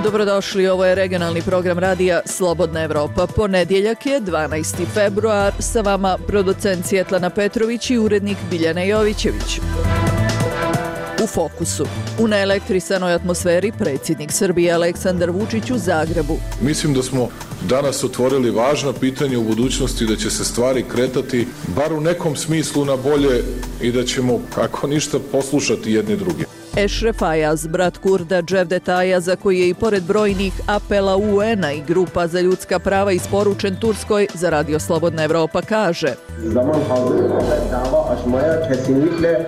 Dobrodošli, ovo je regionalni program radija Slobodna Evropa. Ponedjeljak je 12. februar, sa vama producent Svjetlana Petrović i urednik Biljana Jovićević. U fokusu. U neelektrisanoj atmosferi predsjednik Srbije Aleksandar Vučić u Zagrebu. Mislim da smo danas otvorili važna pitanja u budućnosti, da će se stvari kretati bar u nekom smislu na bolje i da ćemo, ako ništa, poslušati jedni druge. Ešref Ayaz, brat Kurda Cevdet Ayaza, koji je i pored brojnih apela UN-a i grupa za ljudska prava isporučen Turskoj, za Radio Slobodna Evropa kaže: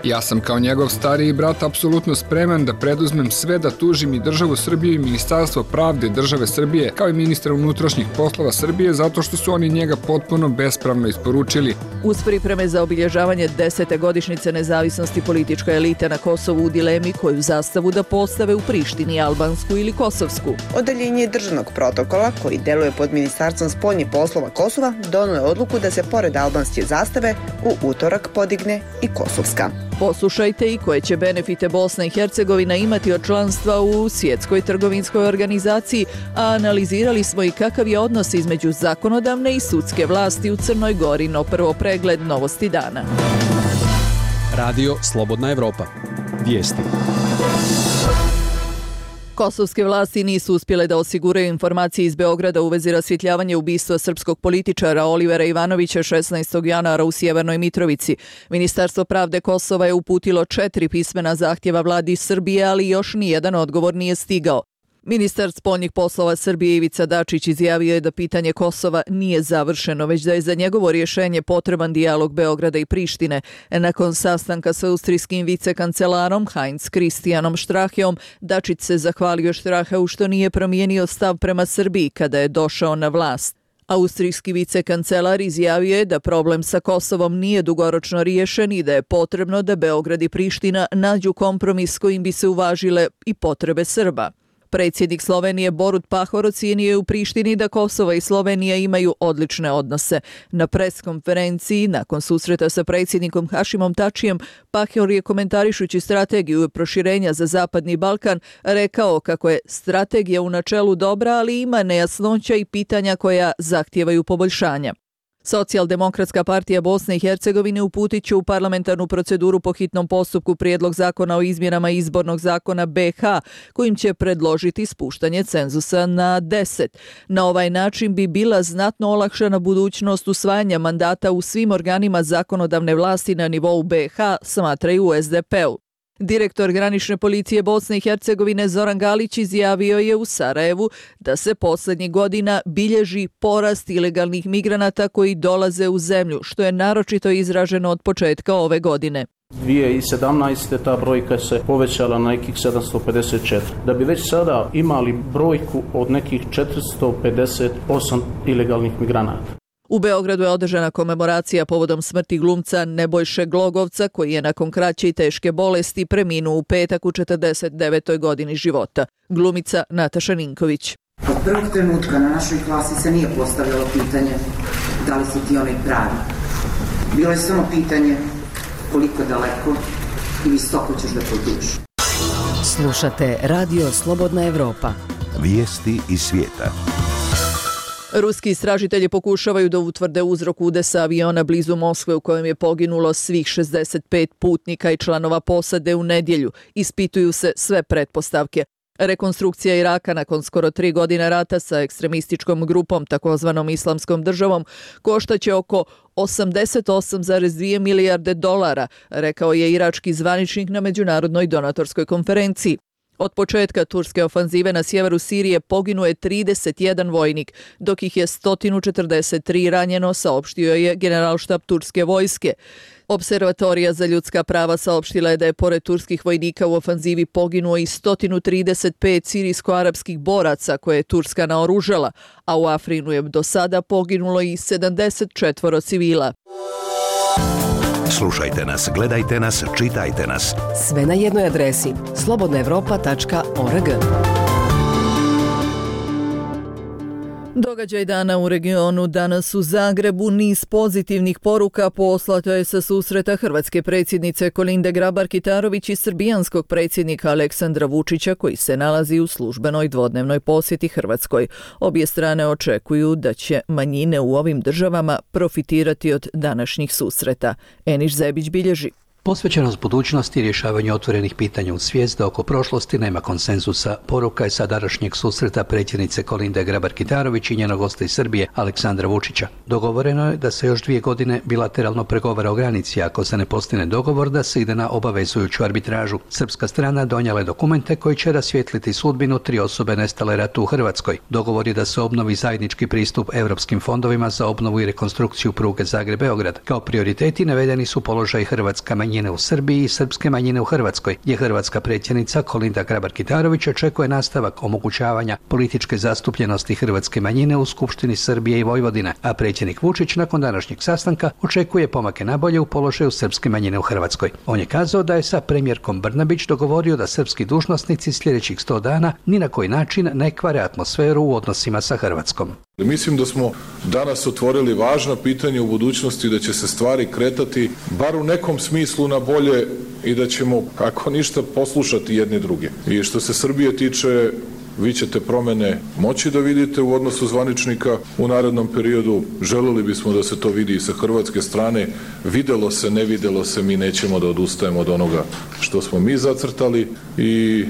Ja sam kao njegov stariji brat apsolutno spreman da preduzmem sve da tužim i državu Srbiju i Ministarstvo pravde države Srbije, kao i ministra unutrašnjih poslova Srbije, zato što su oni njega potpuno bespravno isporučili. Uz pripreme za obilježavanje 10. godišnjice nezavisnosti politička elita na Kosovu u dilemi koju zastavu da postave u Prištini, albansku ili kosovsku. Odeljenje državnog protokola, koji deluje pod Ministarstvom spoljnih poslova Kosova, donio je odluku da se pored albanske zastave u utorak podigne i kosovska. Poslušajte i koje će benefite Bosna i Hercegovina imati od članstva u Svjetskoj trgovinskoj organizaciji, a analizirali smo i kakav je odnos između zakonodavne i sudske vlasti u Crnoj Gori. No prvo pregled novosti dana. Radio Slobodna Evropa. Vijesti. Kosovske vlasti nisu uspjele da osiguraju informacije iz Beograda u vezi rasvjetljavanja ubistva srpskog političara Olivera Ivanovića 16. januara u Sjevernoj Mitrovici. Ministarstvo pravde Kosova je uputilo 4 pismena zahtjeva vladi Srbije, ali još nijedan odgovor nije stigao. Ministar spoljnih poslova Srbije Ivica Dačić izjavio je da pitanje Kosova nije završeno, već da je za njegovo rješenje potreban dijalog Beograda i Prištine. Nakon sastanka sa austrijskim vicekancelarom Heinz Christianom Straheom, Dačić se zahvalio Straheu što nije promijenio stav prema Srbiji kada je došao na vlast. Austrijski vicekancelar izjavio je da problem sa Kosovom nije dugoročno riješen i da je potrebno da Beograd i Priština nađu kompromis kojim bi se uvažile i potrebe Srba. Predsjednik Slovenije Borut Pahor ocijenio je u Prištini da Kosovo i Slovenija imaju odlične odnose. Na pres konferenciji, nakon susreta sa predsjednikom Hašimom Tačijem, Pahor je komentarišući strategiju proširenja za Zapadni Balkan rekao kako je strategija u načelu dobra, ali ima nejasnoća i pitanja koja zahtijevaju poboljšanja. Socijaldemokratska partija Bosne i Hercegovine uputit će u parlamentarnu proceduru po hitnom postupku prijedlog zakona o izmjenama izbornog zakona BiH, kojim će predložiti spuštanje cenzusa na 10. Na ovaj način bi bila znatno olakšana budućnost usvajanja mandata u svim organima zakonodavne vlasti na nivou BiH, smatraju u SDP-u. Direktor granične policije Bosne i Hercegovine Zoran Galić izjavio je u Sarajevu da se posljednjih godina bilježi porast ilegalnih migranata koji dolaze u zemlju, što je naročito izraženo od početka ove godine. 2017. ta brojka se povećala na nekih 754. Da bi već sada imali brojku od nekih 458 ilegalnih migranata. U Beogradu je održana komemoracija povodom smrti glumca Nebojše Glogovca, koji je nakon kraće i teške bolesti preminuo u petak u 49. godini života. Glumica Nataša Ninković. Od prvog trenutka na našoj klasi se nije postavljalo pitanje da li si ti onaj pravi. Bilo je samo pitanje koliko daleko i visoko ćeš da potuš. Slušate Radio Slobodna Evropa. Vijesti iz svijeta. Ruski istražitelji pokušavaju da utvrde uzrok udesa aviona blizu Moskve u kojem je poginulo svih 65 putnika i članova posade u nedjelju. Ispituju se sve pretpostavke. Rekonstrukcija Iraka nakon skoro 3 godine rata sa ekstremističkom grupom, takozvanom Islamskom državom, koštaće oko 88,2 milijarde dolara, rekao je irački zvaničnik na međunarodnoj donatorskoj konferenciji. Od početka turske ofanzive na sjeveru Sirije poginuo je 31 vojnik, dok ih je 143 ranjeno, saopštio je generalštab turske vojske. Observatorija za ljudska prava saopštila je da je pored turskih vojnika u ofanzivi poginuo i 135 sirijsko-arapskih boraca koje je Turska naoružala, a u Afrinu je do sada poginulo i 74 civila. Slušajte nas, gledajte nas, čitajte nas. Sve na jednoj adresi slobodnaevropa.org. Događaj dana u regionu. Danas u Zagrebu niz pozitivnih poruka poslato je sa susreta hrvatske predsjednice Kolinde Grabar-Kitarović i srbijanskog predsjednika Aleksandra Vučića koji se nalazi u službenoj dvodnevnoj posjeti Hrvatskoj. Obje strane očekuju da će manjine u ovim državama profitirati od današnjih susreta. Eniš Zebić bilježi. Posvećenost budućnosti i rješavanju otvorenih pitanja u svijest da oko prošlosti nema konsenzusa. Poruka je sa današnjeg susreta predsjednice Kolinde Grabar-Kitarović i njenog gosta iz Srbije Aleksandra Vučića. Dogovoreno je da se još 2 godine bilateralno pregovara o granici, ako se ne postigne dogovor da se ide na obavezujuću arbitražu. Srpska strana donijela je dokumente koji će rasvijetliti sudbinu 3 osobe nestale ratu u Hrvatskoj. Dogovor je da se obnovi zajednički pristup europskim fondovima za obnovu i rekonstrukciju pruge Zagreb-Beograd. Kao prioriteti navedeni su položaj hrvatska manjine u Srbiji i srpske manjine u Hrvatskoj, gdje hrvatska predsjednica Kolinda Grabar-Kitarović očekuje nastavak omogućavanja političke zastupljenosti hrvatske manjine u Skupštini Srbije i Vojvodine, a predsjednik Vučić nakon današnjeg sastanka očekuje pomake nabolje u položaju srpske manjine u Hrvatskoj. On je kazao da je sa premijerkom Brnabić dogovorio da srpski dužnosnici sljedećih 100 dana ni na koji način ne kvare atmosferu u odnosima sa Hrvatskom. Mislim da smo danas otvorili važna pitanja u budućnosti, da će se stvari kretati bar u nekom smislu na bolje i da ćemo, ako ništa, poslušati jedni druge. I što se Srbije tiče, vi ćete promjene moći da vidite u odnosu zvaničnika u narednom periodu. Želeli bismo da se to vidi i sa hrvatske strane. Videlo se, ne videlo se, mi nećemo da odustajemo od onoga što smo mi zacrtali i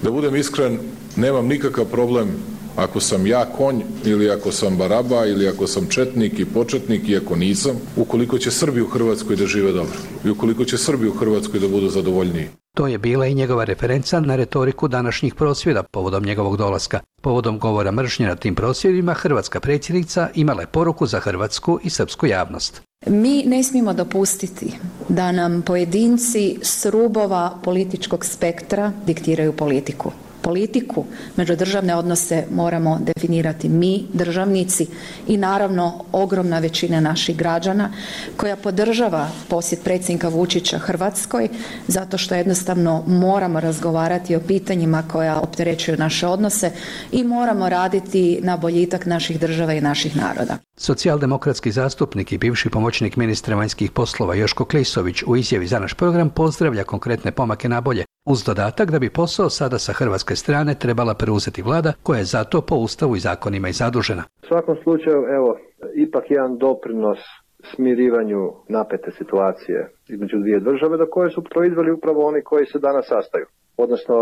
da budem iskren, nemam nikakav problem ako sam ja konj ili ako sam baraba ili ako sam četnik i početnik i ako nisam, ukoliko će Srbi u Hrvatskoj da žive dobro i ukoliko će Srbi u Hrvatskoj da budu zadovoljniji. To je bila i njegova referenca na retoriku današnjih prosvjeda povodom njegovog dolaska. Povodom govora mržnje na tim prosvjedima, hrvatska predsjednica imala je poruku za hrvatsku i srpsku javnost. Mi ne smijemo dopustiti da nam pojedinci s rubova političkog spektra diktiraju politiku. Politiku, međudržavne odnose moramo definirati mi, državnici i naravno ogromna većina naših građana koja podržava posjet predsjednika Vučića Hrvatskoj zato što jednostavno moramo razgovarati o pitanjima koja opterećuju naše odnose i moramo raditi na boljitak naših država i naših naroda. Socijaldemokratski zastupnik i bivši pomoćnik ministra vanjskih poslova Joško Klisović u izjavi za naš program pozdravlja konkretne pomake na bolje, uz dodatak da bi posao sada sa hrvatske strane trebala preuzeti vlada koja je za to po ustavu i zakonima i zadužena. U svakom slučaju, evo, ipak jedan doprinos smirivanju napete situacije između 2 države do koje su proizveli upravo oni koji se danas sastaju, odnosno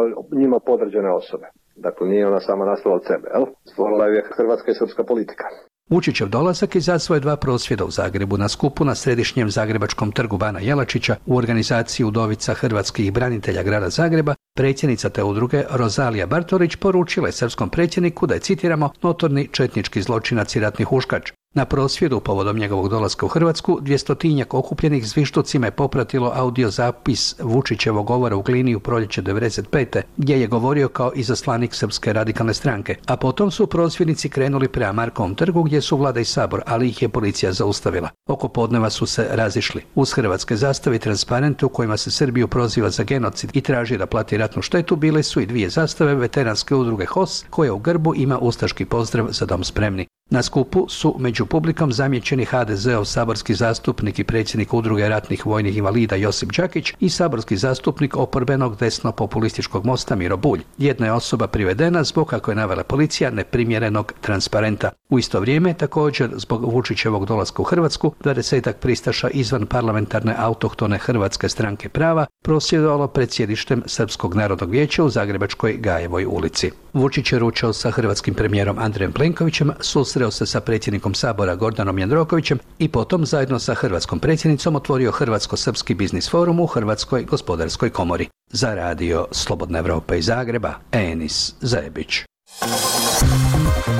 njima podređene osobe. Dakle, nije ona sama nastala od sebe, jel? Stvorila je hrvatska i srpska politika. Vučićev dolazak izazvao je 2 prosvjeda u Zagrebu na skupu na središnjem zagrebačkom trgu Bana Jelačića u organizaciji Udovica hrvatskih branitelja grada Zagreba. Predsjednica te udruge Rozalija Bartorić poručila je srpskom predsjedniku da je, citiramo, notorni četnički zločinac i ratni huškač. Na prosvjedu povodom njegovog dolaska u Hrvatsku 200-tinjak okupljenih zvižducima je popratilo audio zapis Vučićevog govora u Glini u proljeće 1995. gdje je govorio kao izaslanik Srpske radikalne stranke. A potom su prosvjednici krenuli prema Markovom trgu gdje su vlada i sabor, ali ih je policija zaustavila. Oko podneva su se razišli. Uz hrvatske zastave i transparente u kojima se Srbiju proziva za genocid i traži da plati ratnu štetu bile su i 2 zastave veteranske udruge HOS koja u grbu ima ustaški pozdrav Za dom spremni. Na skupu su među publikom zamijećeni HDZ-ov saborski zastupnik i predsjednik udruge ratnih vojnih invalida Josip Đakić i saborski zastupnik oporbenog desno-populističkog Mosta Miro Bulj. Jedna je osoba privedena zbog, kako je navela policija, neprimjerenog transparenta. U isto vrijeme, također zbog Vučićevog dolaska u Hrvatsku, 20-ak pristaša izvan parlamentarne autohtone Hrvatske stranke prava prosvjedovalo pred sjedištem Srpskog narodnog vijeća u zagrebačkoj Gajevoj ulici. Vučić je ručao sa hrvatskim premijerom Andrejem Plenkovićem, susreo se sa predsjednikom Sabora Gordanom Jandrokovićem i potom zajedno sa hrvatskom predsjednicom otvorio Hrvatsko-srpski biznis forum u Hrvatskoj gospodarskoj komori. Za radio Slobodna Evropa iz Zagreba, Enis Zebić.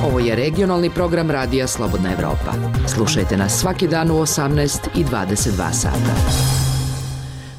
Ovo je regionalni program radija Slobodna Evropa. Slušajte nas svaki dan u 18 i 22 sata.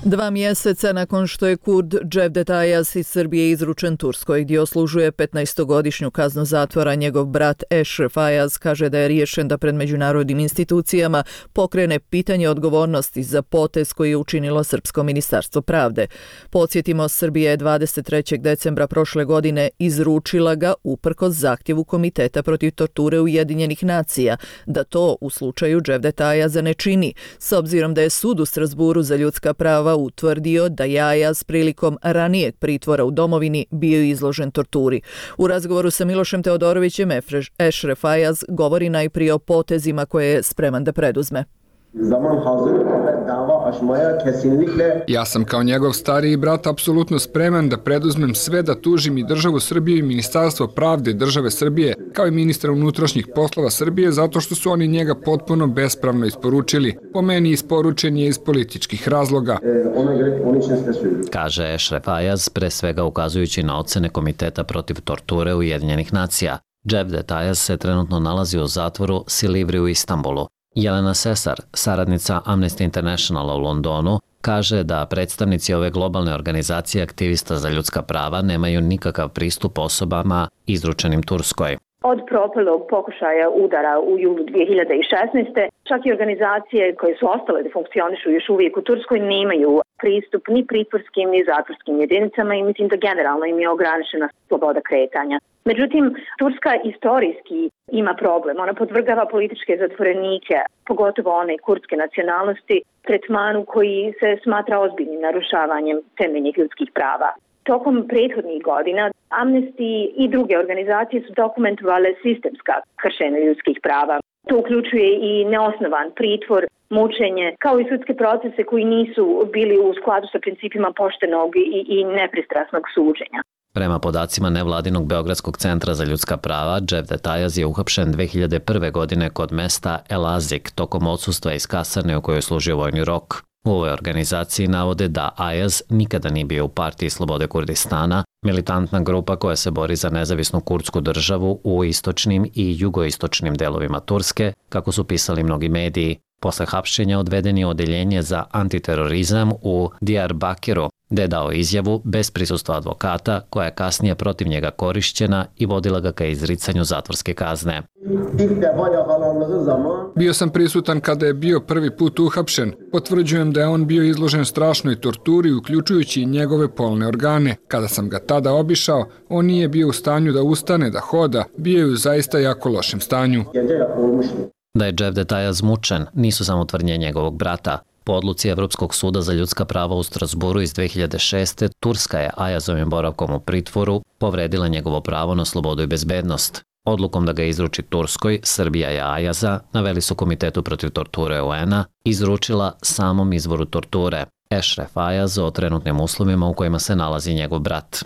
2 mjeseca nakon što je Kurd Cevdet Ayaz iz Srbije izručen Turskoj gdje oslužuje 15-godišnju kaznu zatvora, njegov brat Eşref Ayaz kaže da je riješen da pred međunarodnim institucijama pokrene pitanje odgovornosti za potez koji je učinilo Srpsko ministarstvo pravde. Podsjetimo, Srbija je 23. decembra prošle godine izručila ga uprkos zahtjevu Komiteta protiv torture Ujedinjenih nacija da to u slučaju Cevdeta Ayaza ne čini, s obzirom da je sud u Strasburu za ljudska prava utvrdio da je Ayaz prilikom ranijeg pritvora u domovini bio izložen torturi. U razgovoru sa Milošem Teodorovićem Eşref Ayaz govori najprije o potezima koje je spreman da preduzme. Ja sam kao njegov stariji brat apsolutno spreman da preduzmem sve da tužim i državu Srbiju i Ministarstvo pravde države Srbije, kao i ministra unutrašnjih poslova Srbije, zato što su oni njega potpuno bespravno isporučili. Po meni isporučen je iz političkih razloga. Kaže Eşref Ayaz, pre svega ukazujući na ocene Komiteta protiv torture Ujedinjenih nacija. Cevdet Ayaz se trenutno nalazi u zatvoru Silivri u Istanbulu. Jelena Sesar, saradnica Amnesty Internationala u Londonu, kaže da predstavnici ove globalne organizacije aktivista za ljudska prava nemaju nikakav pristup osobama izručenim Turskoj. Od propalog pokušaja udara u julu 2016. čak i organizacije koje su ostale da funkcionišu još uvijek u Turskoj nemaju pristup ni pritvorskim ni zatvorskim jedinicama i mislim da generalno im je ograničena sloboda kretanja. Međutim, Turska istorijski ima problem. Ona podvrgava političke zatvorenike, pogotovo one kurdske nacionalnosti, tretmanu koji se smatra ozbiljnim narušavanjem temeljnih ljudskih prava. Tokom prethodnih godina Amnesty i druge organizacije su dokumentovale sistemska kršenja ljudskih prava. To uključuje i neosnovan pritvor, mučenje, kao i sudske procese koji nisu bili u skladu sa principima poštenog i nepristrasnog suđenja. Prema podacima nevladinog Beogradskog centra za ljudska prava, Cevdet Ayaz je uhapšen 2001. godine kod mesta El Azik tokom odsustva iz kasarne u kojoj je služio vojni rok. U ovoj organizaciji navode da Ayaz nikada nije bio u partiji Slobode Kurdistana, militantna grupa koja se bori za nezavisnu kurdsku državu u istočnim i jugoistočnim delovima Turske, kako su pisali mnogi mediji. Posle hapšenja odveden je odeljenje za antiterorizam u Diyarbakiru, gde je dao izjavu bez prisustva advokata, koja je kasnije protiv njega korišćena i vodila ga ka izricanju zatvorske kazne. Bio sam prisutan kada je bio prvi put uhapšen. Potvrđujem da je on bio izložen strašnoj torturi, uključujući i njegove polne organe. Kada sam ga tada obišao, on nije bio u stanju da ustane, da hoda, bio je u zaista jako lošem stanju. Da je Cevdet Ayaz mučen nisu samo tvrdnje njegovog brata. Po odluci Evropskog suda za ljudska prava u Strasburu iz 2006. Turska je Ayazovim boravkom u pritvoru povredila njegovo pravo na slobodu i bezbednost. Odlukom da ga izruči Turskoj, Srbija je Ayaza, naveli su Komitetu protiv torture UN-a, izručila samom izvoru torture, Eşref Ayaz, o trenutnim uslovima u kojima se nalazi njegov brat.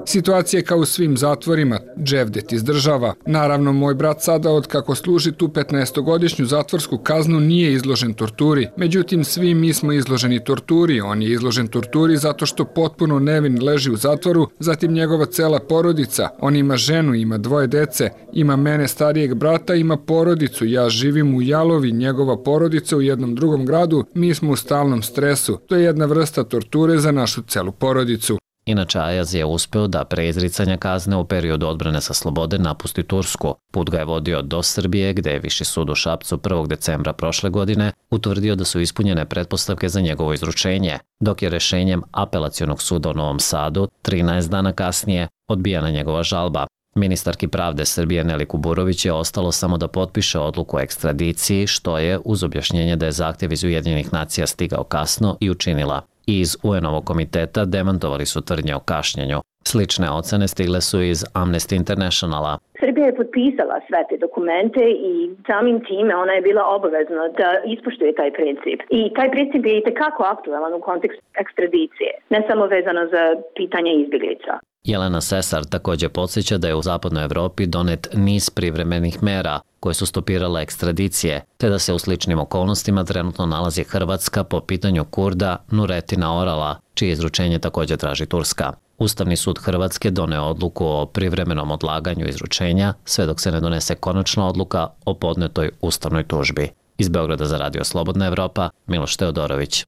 Situacija je kao u svim zatvorima, Cevdet izdržava. Naravno, moj brat sada, od kako služi tu 15-godišnju zatvorsku kaznu, nije izložen torturi. Međutim, svi mi smo izloženi torturi. On je izložen torturi zato što potpuno nevin leži u zatvoru, zatim njegova cela porodica. On ima ženu, ima 2 dece, ima mene starijeg brata, ima porodicu. Ja živim u Jalovi, njegova porodica u jednom drugom gradu, mi smo u stalnom stresu. To je jedna vrsta torture za našu celu porodicu. Inače, Ayaz je uspeo da pre izricanja kazne u periodu odbrane sa slobode napusti Tursku. Put ga je vodio do Srbije, gde je Viši sud u Šapcu 1. decembra prošle godine utvrdio da su ispunjene pretpostavke za njegovo izručenje, dok je rešenjem Apelacionog suda u Novom Sadu 13 dana kasnije odbijena njegova žalba. Ministarki pravde Srbije Neli Kuburović je ostalo samo da potpiše odluku o ekstradiciji, što je, uz objašnjenje da je zahtjev iz Ujedinjenih nacija stigao kasno, i učinila. Iz UN-ovog komiteta demantovali su tvrdnje o kašnjenju. Slične ocene stigle su iz Amnesty Internationala. Srbija je potpisala sve te dokumente i samim time ona je bila obavezna da ispoštuje taj princip. I taj princip je i tekako aktualan u kontekstu ekstradicije, ne samo vezano za pitanje izbjeglica. Jelena Sesar također podsjeća da je u zapadnoj Evropi donet niz privremenih mera koje su stopirale ekstradicije, te da se u sličnim okolnostima trenutno nalazi Hrvatska po pitanju Kurda Nuretina Orala, čije izručenje također traži Turska. Ustavni sud Hrvatske doneo odluku o privremenom odlaganju izručenja, sve dok se ne donese konačna odluka o podnetoj ustavnoj tužbi. Iz Beograda za Radio Slobodna Evropa, Miloš Teodorović.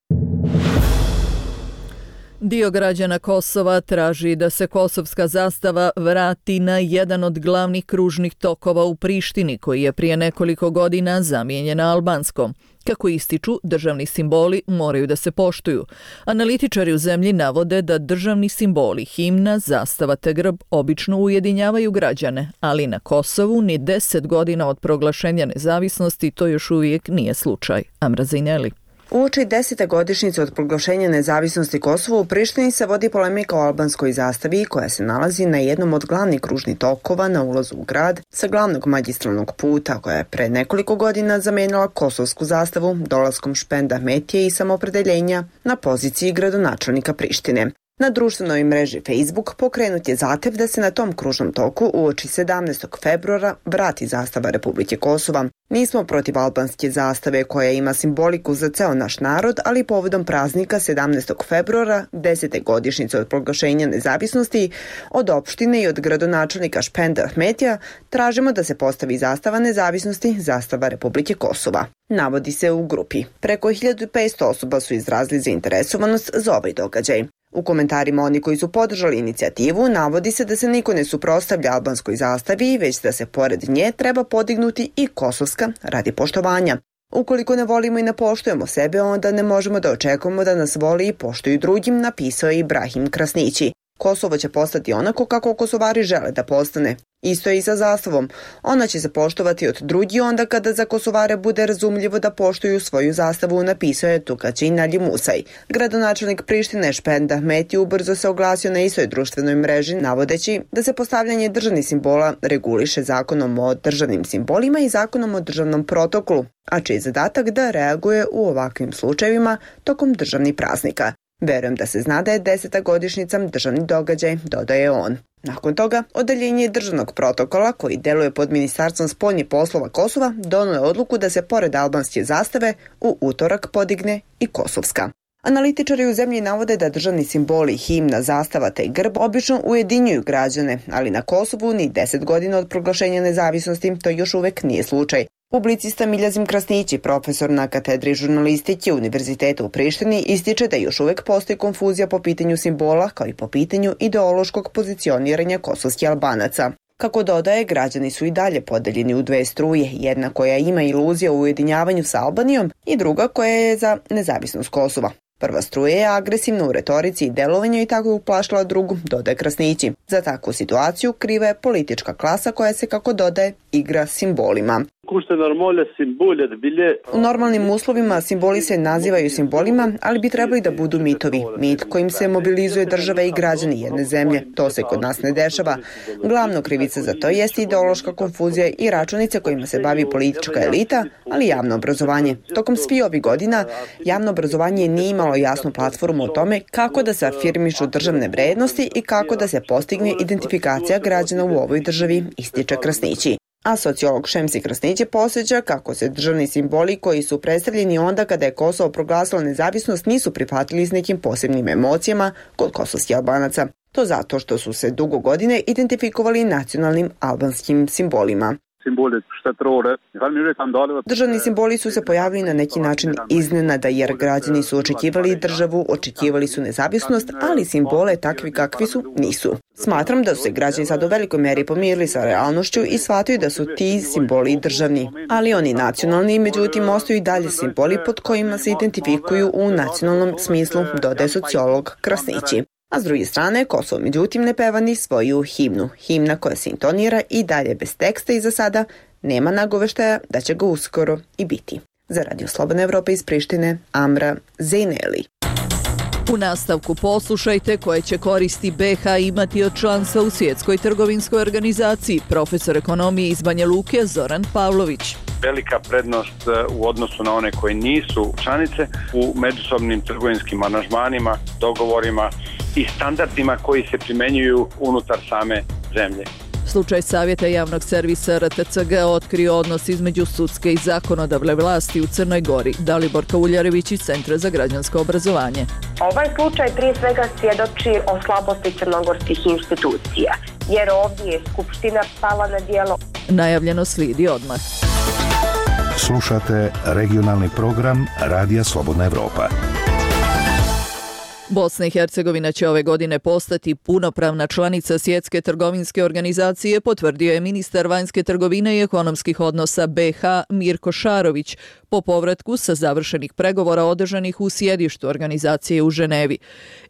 Dio građana Kosova traži da se kosovska zastava vrati na jedan od glavnih kružnih tokova u Prištini, koji je prije nekoliko godina zamijenjena albanskom. Kako ističu, državni simboli moraju da se poštuju. Analitičari u zemlji navode da državni simboli, himna, zastava te grb obično ujedinjavaju građane, ali na Kosovu ni 10 godina od proglašenja nezavisnosti to još uvijek nije slučaj. Amra Zejneli. Uoči 10. godišnjice od proglašenja nezavisnosti Kosova u Prištini se vodi polemika o albanskoj zastavi koja se nalazi na jednom od glavnih kružnih tokova na ulazu u grad sa glavnog magistralnog puta koja je pre nekoliko godina zamenila kosovsku zastavu dolaskom Špenda Ahmetije i samopredeljenja na poziciji gradonačelnika Prištine. Na društvenoj mreži Facebook pokrenut je zahtev da se na tom kružnom toku uoči 17. februara vrati zastava Republike Kosova. Nismo protiv albanske zastave koja ima simboliku za ceo naš narod, ali povodom praznika 17. februara, 10. godišnjice od proglašenja nezavisnosti, od opštine i od gradonačelnika Špenda Ahmetija tražimo da se postavi zastava nezavisnosti, zastava Republike Kosova. Navodi se u grupi. Preko 1500 osoba su izrazili zainteresovanost za ovaj događaj. U komentarima oni koji su podržali inicijativu navodi se da se niko ne suprotstavlja albanskoj zastavi, već da se pored nje treba podignuti i kosovska radi poštovanja. Ukoliko ne volimo i ne poštujemo sebe, onda ne možemo da očekujemo da nas voli i poštuju drugim, napisao je Ibrahim Krasnići. Kosovo će postati onako kako Kosovari žele da postane. Isto je i sa zastavom. Ona će se poštovati od drugih onda kada za Kosovare bude razumljivo da poštuju svoju zastavu, napisao je Tukaćin Ali Musaj. Gradonačelnik Prištine Špenda Ahmeti ubrzo se oglasio na istoj društvenoj mreži, navodeći da se postavljanje državnih simbola reguliše zakonom o državnim simbolima i zakonom o državnom protokolu, a čiji je zadatak da reaguje u ovakvim slučajevima tokom državnih praznika. Verujem da se zna da je 10. godišnjica državni događaj, dodaje on. Nakon toga, odeljenje državnog protokola, koji deluje pod Ministarstvom spoljnih poslova Kosova, donelo je odluku da se pored albanske zastave u utorak podigne i kosovska. Analitičari u zemlji navode da državni simboli, himna, zastava te grb obično ujedinjuju građane, ali na Kosovu ni 10 godina od proglašenja nezavisnosti to još uvek nije slučaj. Publicista Miljazim Krasnići, profesor na katedri žurnalistike Univerziteta u Prištini, ističe da još uvek postoji konfuzija po pitanju simbola kao i po pitanju ideološkog pozicioniranja kosovskih Albanaca. Kako dodaje, građani su i dalje podeljeni u dve struje, jedna koja ima iluzija u ujedinjavanju sa Albanijom i druga koja je za nezavisnost Kosova. Prva struja je agresivna u retorici i delovanju i tako je uplašila drugu, dodaje Krasnići. Za takvu situaciju kriva je politička klasa koja se, kako dodaje, igra simbolima. U normalnim uslovima simboli se nazivaju simbolima, ali bi trebali da budu mitovi. Mit kojim se mobilizuje države i građani jedne zemlje. To se kod nas ne dešava. Glavno krivica za to jeste ideološka konfuzija i računice kojima se bavi politička elita, ali javno obrazovanje. Tokom svih ovih godina javno obrazovanje nije imalo jasnu platformu o tome kako da se afirmišu državne vrednosti i kako da se postigne identifikacija građana u ovoj državi, ističe Krasnići. A sociolog Šemsi Krasnići posjeća kako se državni simboli koji su predstavljeni onda kada je Kosovo proglasilo nezavisnost nisu prihvatili s nekim posebnim emocijama kod kosovskih Albanaca. To zato što su se dugo godine identifikovali nacionalnim albanskim simbolima. Državni simboli su se pojavili na neki način iznenada jer građani su očekivali državu, očekivali su nezavisnost, ali simbole takvi kakvi su nisu. Smatram da su se građani sad u velikoj meri pomirili sa realnošću i shvataju da su ti simboli državni, ali oni nacionalni, međutim ostaju i dalje simboli pod kojima se identifikuju u nacionalnom smislu, dodaje sociolog Krasnići. A s druge strane, Kosovo međutim ne peva ni svoju himnu. Himna koja se intonira i dalje bez teksta i za sada nema nagoveštaja da će ga uskoro i biti. Za Radio Slobodna Evropa iz Prištine, Amra Zejneli. U nastavku poslušajte koje će koristi BiH imati od članstva u Svjetskoj trgovinskoj organizaciji, profesor ekonomije iz Banja Luke Zoran Pavlović. Velika prednost u odnosu na one koje nisu članice u međusobnim trgovinskim aranžmanima, dogovorima i standardima koji se primenjuju unutar same zemlje. Slučaj Savjeta javnog servisa RTCG otkrio odnos između sudske i zakonodavne vlasti u Crnoj Gori. Dalibor Kauljarević iz Centra za građansko obrazovanje. Ovaj slučaj prije svega svjedoči o slabosti crnogorskih institucija, jer ovdje je Skupština pala na djelo. Najavljeno slijedi odmah. Slušate regionalni program Radija Slobodna Evropa. Bosna i Hercegovina će ove godine postati punopravna članica Svjetske trgovinske organizacije, potvrdio je ministar vanjske trgovine i ekonomskih odnosa BiH Mirko Šarović po povratku sa završenih pregovora održanih u sjedištu organizacije u Ženevi.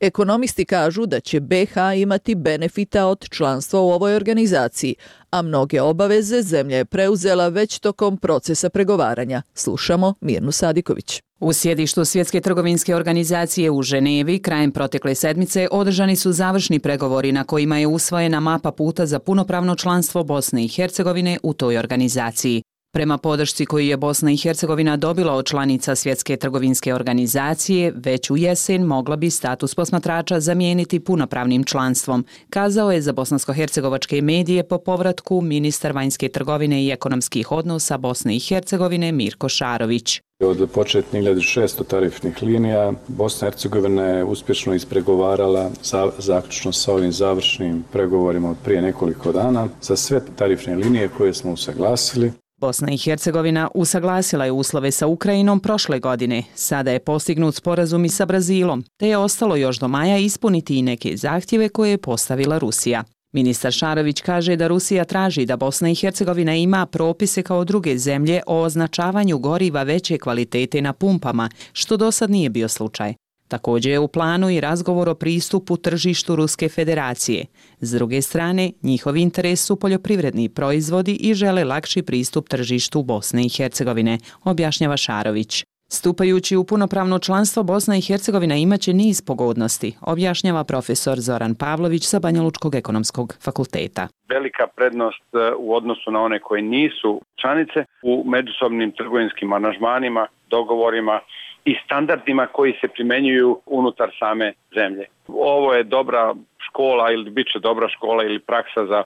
Ekonomisti kažu da će BiH imati benefita od članstva u ovoj organizaciji, a mnoge obaveze zemlja je preuzela već tokom procesa pregovaranja. Slušamo Mirnu Sadiković. U sjedištu Svjetske trgovinske organizacije u Ženevi krajem protekle sedmice održani su završni pregovori na kojima je usvojena mapa puta za punopravno članstvo Bosne i Hercegovine u toj organizaciji. Prema podršci koju je Bosna i Hercegovina dobila od članica Svjetske trgovinske organizacije, već u jesen mogla bi status posmatrača zamijeniti punopravnim članstvom, kazao je za bosansko-hercegovačke medije po povratku ministar vanjske trgovine i ekonomskih odnosa Bosne i Hercegovine Mirko Šarović. Od početnih 1600 tarifnih linija Bosna i Hercegovina je uspješno ispregovarala zaključno sa ovim završnim pregovorima od prije nekoliko dana za sve tarifne linije koje smo usaglasili. Bosna i Hercegovina usaglasila je uslove sa Ukrajinom prošle godine. Sada je postignut sporazum i sa Brazilom, te je ostalo još do maja ispuniti i neke zahtjeve koje je postavila Rusija. Ministar Šarović kaže da Rusija traži da Bosna i Hercegovina ima propise kao druge zemlje o označavanju goriva veće kvalitete na pumpama, što do sad nije bio slučaj. Također je u planu i razgovor o pristupu tržištu Ruske federacije. S druge strane, njihov interes su poljoprivredni proizvodi i žele lakši pristup tržištu Bosne i Hercegovine, objašnjava Šarović. Stupajući u punopravno članstvo, Bosna i Hercegovina imaće niz pogodnosti, objašnjava profesor Zoran Pavlović sa Banjalučkog ekonomskog fakulteta. Velika prednost u odnosu na one koje nisu članice u međusobnim trgovinskim aranžmanima, dogovorima i standardima koji se primjenjuju unutar same zemlje. Ovo je dobra škola ili bit će dobra škola ili praksa za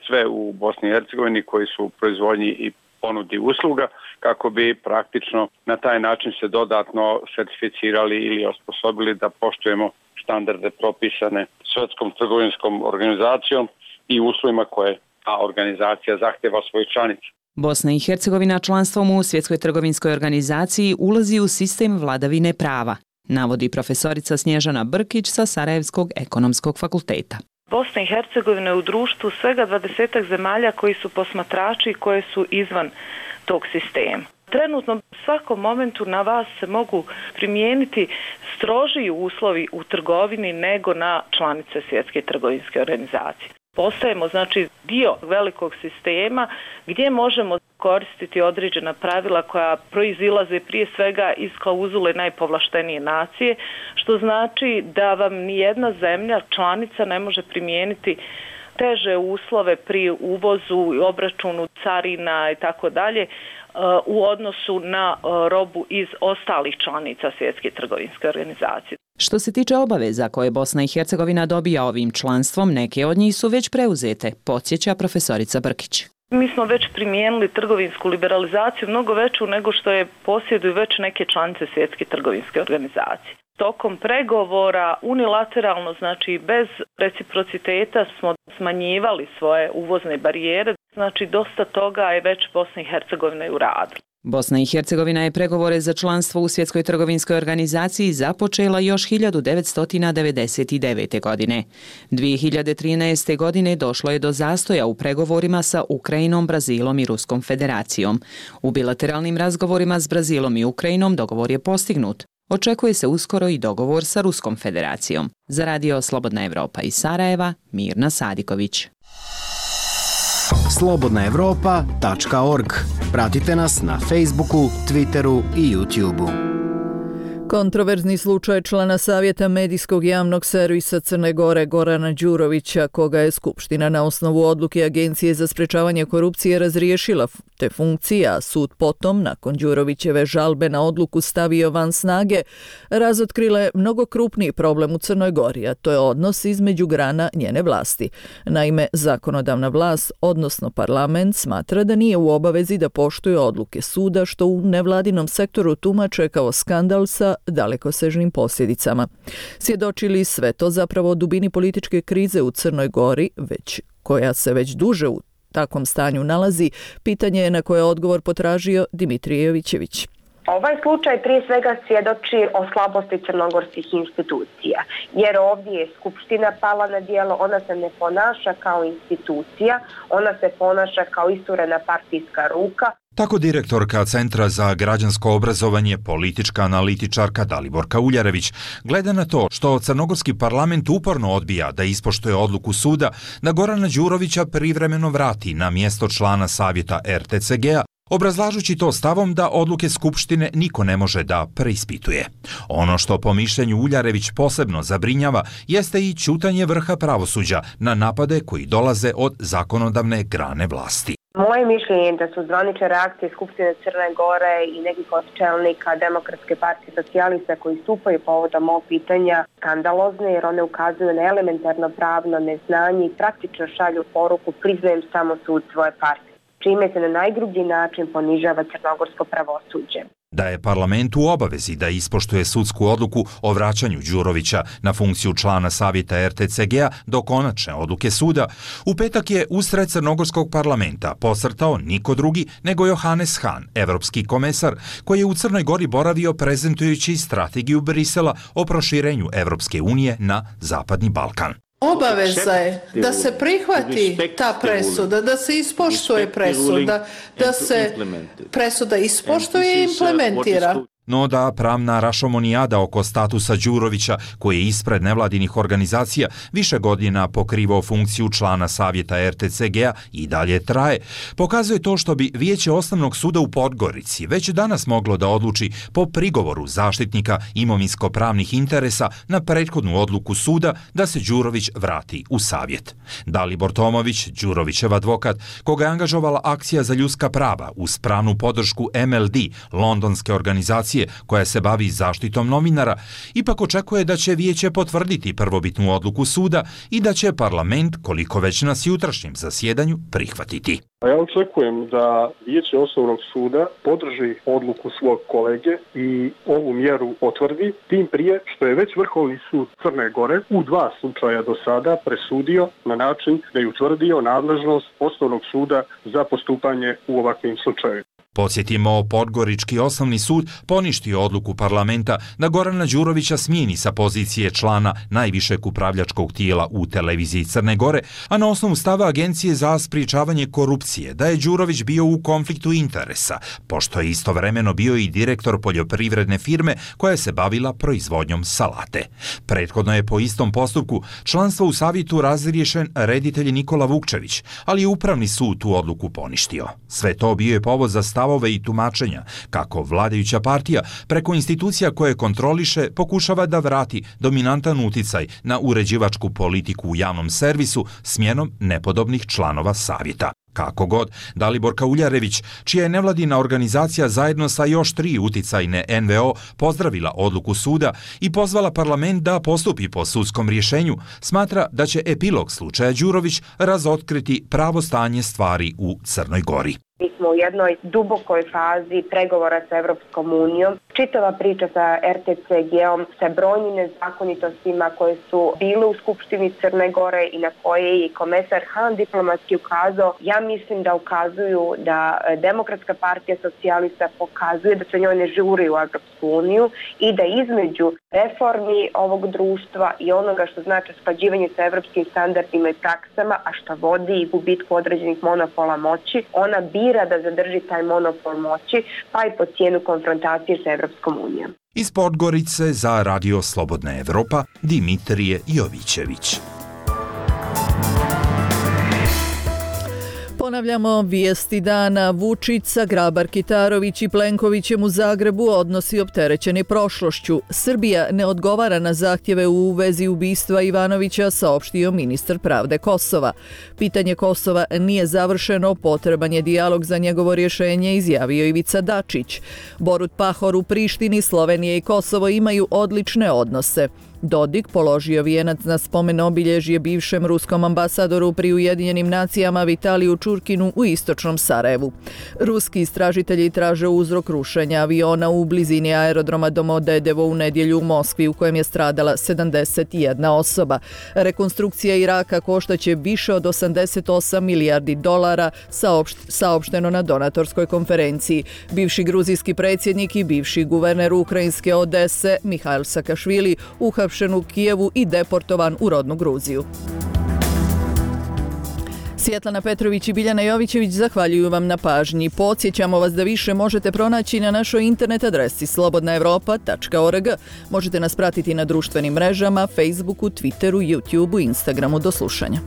sve u Bosni i Hercegovini koji su u proizvodnji i ponudi usluga, kako bi praktično na taj način se dodatno certificirali ili osposobili da poštujemo standarde propisane Svjetskom trgovinskom organizacijom i uslovima koje ta organizacija zahtjeva svojih članica. Bosna i Hercegovina članstvom u Svjetskoj trgovinskoj organizaciji ulazi u sistem vladavine prava, navodi profesorica Snježana Brkić sa Sarajevskog ekonomskog fakulteta. Bosna i Hercegovina je u društvu svega 20 zemalja koji su posmatrači i koje su izvan tog sistema. Trenutno u svakom momentu na vas se mogu primijeniti strožiji uslovi u trgovini nego na članice Svjetske trgovinske organizacije. Postajemo znači dio velikog sistema gdje možemo koristiti određena pravila koja proizilaze prije svega iz klauzule najpovlaštenije nacije, što znači da vam nijedna zemlja članica ne može primijeniti teže uslove pri uvozu i obračunu carina i tako dalje u odnosu na robu iz ostalih članica Svjetske trgovinske organizacije. Što se tiče obaveza koje Bosna i Hercegovina dobija ovim članstvom, neke od njih su već preuzete, podsjeća profesorica Brkić. Mi smo već primijenili trgovinsku liberalizaciju mnogo veću nego što je posjeduju već neke članice Svjetske trgovinske organizacije. Tokom pregovora unilateralno, znači bez reciprociteta, smo smanjivali svoje uvozne barijere, znači dosta toga je već Bosna i Hercegovina i uradila. Bosna i Hercegovina je pregovore za članstvo u Svjetskoj trgovinskoj organizaciji započela još 1999. godine. 2013. godine došlo je do zastoja u pregovorima sa Ukrajinom, Brazilom i Ruskom federacijom. U bilateralnim razgovorima s Brazilom i Ukrajinom dogovor je postignut. Očekuje se uskoro i dogovor sa Ruskom federacijom. Za Radio Slobodna Evropa iz Sarajeva, Mirna Sadiković. slobodnaevropa.org. Pratite nas na Facebooku, Twitteru i YouTubeu. Kontroverzni slučaj člana Savjeta medijskog javnog servisa Crne Gore Gorana Đurovića, koga je Skupština na osnovu odluke Agencije za sprečavanje korupcije razriješila te funkcije, a sud potom, nakon Đurovićeve žalbe na odluku stavio van snage, razotkrile mnogo krupniji problem u Crnoj Gori, a to je odnos između grana njene vlasti. Naime, zakonodavna vlast, odnosno parlament, smatra da nije u obavezi da poštuje odluke suda, što u nevladinom sektoru tumače kao skandal sa dalekosežnim posljedicama. Svjedočili sve to zapravo o dubini političke krize u Crnoj Gori, koja se već duže u takvom stanju nalazi, pitanje je na koje odgovor potražio Dimitrije Jovićević. Ovaj slučaj prije svega svjedoči o slabosti crnogorskih institucija, jer ovdje je Skupština pala na djelo, ona se ne ponaša kao institucija, ona se ponaša kao isturena partijska ruka. Tako direktorka Centra za građansko obrazovanje, politička analitičarka Daliborka Uljarević gleda na to što crnogorski parlament uporno odbija da ispoštuje odluku suda da Gorana Đurovića privremeno vrati na mjesto člana savjeta RTCG-a, obrazlažući to stavom da odluke Skupštine niko ne može da preispituje. Ono što po mišljenju Uljarević posebno zabrinjava jeste i ćutanje vrha pravosuđa na napade koji dolaze od zakonodavne grane vlasti. Moje mišljenje je da su zvanične reakcije Skupštine Crne Gore i nekih od čelnika Demokratske partije socijalista koji stupaju povodom ovog pitanja skandalozne, jer one ukazuju na elementarno pravno neznanje i praktično šalju poruku priznajem samo sud svoje partije, čime se na najgrublji način ponižava crnogorsko pravosuđe. Da je parlament u obavezi da ispoštuje sudsku odluku o vraćanju Đurovića na funkciju člana savjeta RTCG-a do konačne odluke suda, u petak je usred crnogorskog parlamenta posrtao niko drugi nego Johannes Hahn, evropski komesar, koji je u Crnoj Gori boravio prezentujući strategiju Brisela o proširenju Evropske unije na Zapadni Balkan. Obaveza je da se prihvati ta presuda, da se ispoštuje presuda, da se presuda ispoštuje i implementira. No da pravna rašomonijada oko statusa Đurovića, koji je ispred nevladinih organizacija više godina pokrivao funkciju člana savjeta RTCG-a i dalje traje, pokazuje to što bi Vijeće Osnovnog suda u Podgorici već danas moglo da odluči po prigovoru zaštitnika imovinsko-pravnih interesa na prethodnu odluku suda da se Đurović vrati u savjet. Dalibor Tomović, Đurovićev advokat, koga je angažovala Akcija za ljudska prava uz pravnu podršku MLD, londonske organizacije koja se bavi zaštitom novinara, ipak očekuje da će vijeće potvrditi prvobitnu odluku suda i da će parlament, koliko već na jutrašnjem zasjedanju, prihvatiti. Ja očekujem da Vijeće Osnovnog suda podrži odluku svog kolege i ovu mjeru potvrdi, tim prije što je već Vrhovni sud Crne Gore u 2 slučaja do sada presudio na način da je utvrdio nadležnost Osnovnog suda za postupanje u ovakvim slučajevima. Podsjetimo, Podgorički osnovni sud poništio odluku parlamenta da Gorana Đurovića smijeni sa pozicije člana najvišeg upravljačkog tijela u televiziji Crne Gore, a na osnovu stava Agencije za sprječavanje korupcije da je Đurović bio u konfliktu interesa, pošto je istovremeno bio i direktor poljoprivredne firme koja se bavila proizvodnjom salate. Prethodno je po istom postupku članstvo u savjetu razriješen reditelj Nikola Vukčević, ali je Upravni sud tu odluku poništio. Sve to bio je povod za stavove i tumačenja kako vladajuća partija preko institucija koje kontroliše pokušava da vrati dominantan uticaj na uređivačku politiku u javnom servisu smjenom nepodobnih članova savjeta. Kako god, Daliborka Uljarević, čija je nevladina organizacija zajedno sa još 3 uticajne NVO pozdravila odluku suda i pozvala parlament da postupi po sudskom rješenju, smatra da će epilog slučaja Đurović razotkriti pravo stanje stvari u Crnoj Gori. Mi smo u jednoj dubokoj fazi pregovora sa Evropskom unijom. Čitava priča sa RTCG-om, sa brojnim nezakonitostima koje su bile u Skupštini Crne Gore i na koje je i komesar Hahn diplomatski ukazao, ja mislim da ukazuju da Demokratska partija socijalista pokazuje da se njoj ne žuri u Evropsku uniju i da između reformi ovog društva i onoga što znači usklađivanje sa evropskim standardima i praksama, a što vodi i gubitku određenih monopola moći, ona bira da zadrži taj monopol moći, pa i po cijenu konfrontacije sa Evropskom unijom. Iz Podgorice za Radio Slobodna Evropa, Dimitrije Jovićević. Ponavljamo vijesti dana. Vučić sa Grabar-Kitarović i Plenkovićem u Zagrebu odnosi opterećeni prošlošću. Srbija ne odgovara na zahtjeve u vezi ubistva Ivanovića, saopštio ministar pravde Kosova. Pitanje Kosova nije završeno, potreban je dijalog za njegovo rješenje, izjavio Ivica Dačić. Borut Pahor u Prištini, Slovenija i Kosovo imaju odlične odnose. Dodik položio vijenac na spomen obilježje bivšem ruskom ambasadoru pri Ujedinjenim nacijama Vitaliju Čurkinu u istočnom Sarajevu. Ruski istražitelji traže uzrok rušenja aviona u blizini aerodroma Domodedovo u nedjelju u Moskvi u kojem je stradala 71 osoba. Rekonstrukcija Iraka koštaće više od 88 milijardi dolara, saopšteno na donatorskoj konferenciji. Bivši gruzijski predsjednik i bivši guverner ukrajinske Odese Mihail Sakašvili uhapšen u Kijevu i deportovan u rodnu Gruziju. Svjetlana Petrović i Biljana Jovićević zahvaljuju vam na pažnji. Podsjećamo vas da više možete pronaći na našoj internet adresi slobodnaevropa.org. Možete nas pratiti na društvenim mrežama, Facebooku, Twitteru, YouTubeu i Instagramu. Do slušanja.